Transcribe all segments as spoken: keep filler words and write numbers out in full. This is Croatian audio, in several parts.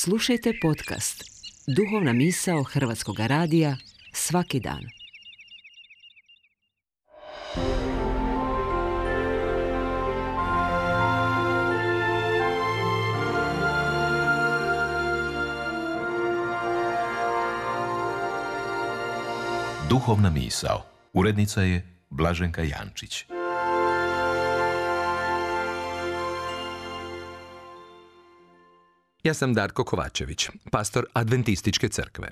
Slušajte podcast Duhovna misao Hrvatskog radija svaki dan. Duhovna misao. Urednica je Blaženka Jančić. Ja sam Darko Kovačević, pastor Adventističke crkve.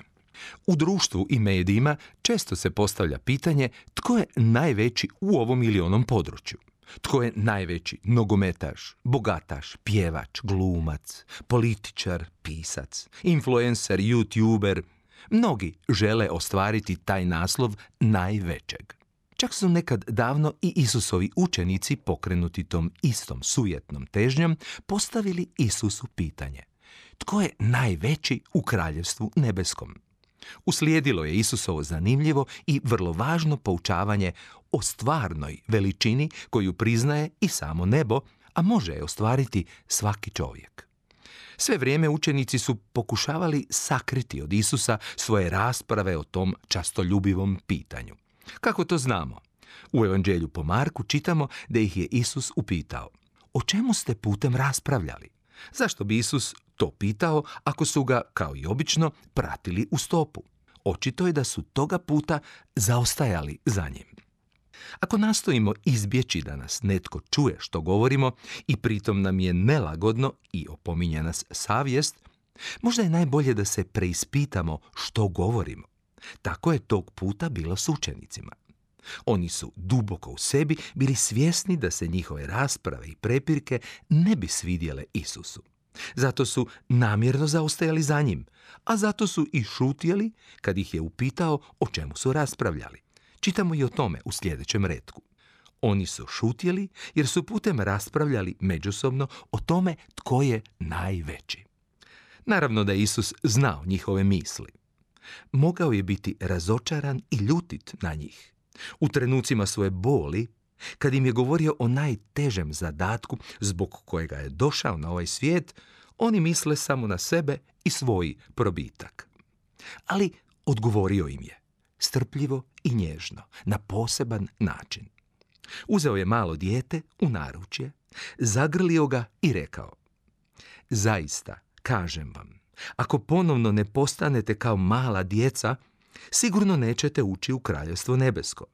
U društvu i medijima često se postavlja pitanje tko je najveći u ovom ili onom području. Tko je najveći nogometaš, bogataš, pjevač, glumac, političar, pisac, influencer, youtuber. Mnogi žele ostvariti taj naslov najvećeg. Čak su nekad davno i Isusovi učenici, pokrenuti tom istom sujetnom težnjom, postavili Isusu pitanje: tko je najveći u kraljevstvu nebeskom? Uslijedilo je Isusovo zanimljivo i vrlo važno poučavanje o stvarnoj veličini koju priznaje i samo nebo, a može je ostvariti svaki čovjek. Sve vrijeme učenici su pokušavali sakriti od Isusa svoje rasprave o tom častoljubivom pitanju. Kako to znamo? U Evanđelju po Marku čitamo da ih je Isus upitao: o čemu ste putem raspravljali? Zašto bi Isus to pitao ako su ga, kao i obično, pratili u stopu? Očito je da su toga puta zaostajali za njim. Ako nastojimo izbjeći da nas netko čuje što govorimo i pritom nam je nelagodno i opominje nas savjest, možda je najbolje da se preispitamo što govorimo. Tako je tog puta bilo s učenicima. Oni su duboko u sebi bili svjesni da se njihove rasprave i prepirke ne bi svidjele Isusu. Zato su namjerno zaostajali za njim, a zato su i šutjeli kad ih je upitao o čemu su raspravljali. Čitamo i o tome u sljedećem retku. Oni su šutjeli jer su putem raspravljali međusobno o tome tko je najveći. Naravno da je Isus znao njihove misli. Mogao je biti razočaran i ljutit na njih. U trenucima svoje boli, kad im je govorio o najtežem zadatku zbog kojega je došao na ovaj svijet, oni misle samo na sebe i svoj probitak. Ali odgovorio im je, strpljivo i nježno, na poseban način. Uzeo je malo dijete u naručje, zagrlio ga i rekao: zaista, kažem vam, ako ponovno ne postanete kao mala djeca, sigurno nećete ući u kraljevstvo nebesko.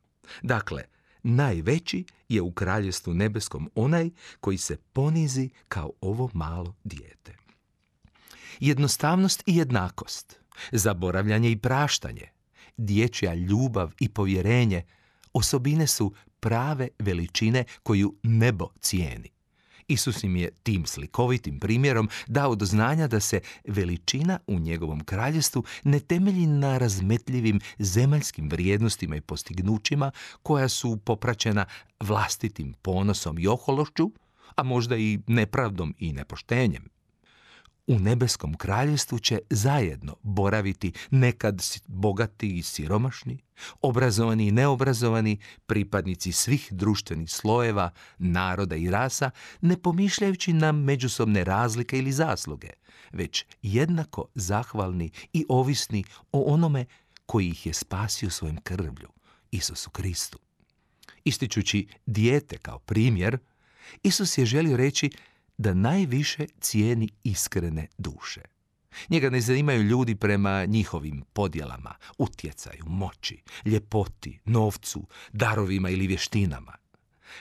Dakle, najveći je u kraljevstvu nebeskom onaj koji se ponizi kao ovo malo dijete. Jednostavnost i jednakost, zaboravljanje i praštanje, dječja ljubav i povjerenje osobine su prave veličine koju nebo cijeni. Isus im je tim slikovitim primjerom dao do znanja da se veličina u njegovom kraljevstvu ne temelji na razmetljivim zemaljskim vrijednostima i postignućima koja su popraćena vlastitim ponosom i ohološću, a možda i nepravdom i nepoštenjem. U nebeskom kraljevstvu će zajedno boraviti nekad bogati i siromašni, obrazovani i neobrazovani, pripadnici svih društvenih slojeva, naroda i rasa, ne pomišljajući na međusobne razlike ili zasluge, već jednako zahvalni i ovisni o onome koji ih je spasio svojim krvlju, Isusu Kristu. Ističući dijete kao primjer, Isus je želio reći da najviše cijeni iskrene duše. Njega ne zanimaju ljudi prema njihovim podjelama, utjecaju, moći, ljepoti, novcu, darovima ili vještinama.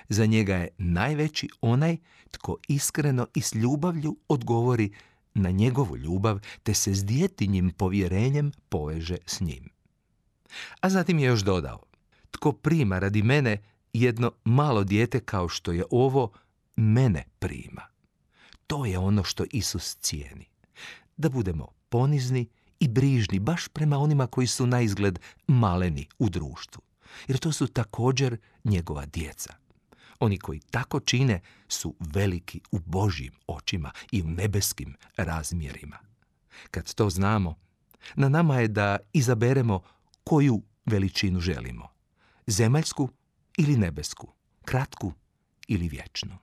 Za njega je najveći onaj tko iskreno i s ljubavlju odgovori na njegovu ljubav te se s djetinjim povjerenjem poveže s njim. A zatim je još dodao: tko prima radi mene jedno malo dijete kao što je ovo, mene prima. To je ono što Isus cijeni. Da budemo ponizni i brižni baš prema onima koji su naizgled maleni u društvu. Jer to su također njegova djeca. Oni koji tako čine su veliki u Božjim očima i u nebeskim razmjerima. Kad to znamo, na nama je da izaberemo koju veličinu želimo. Zemaljsku ili nebesku, kratku ili vječnu.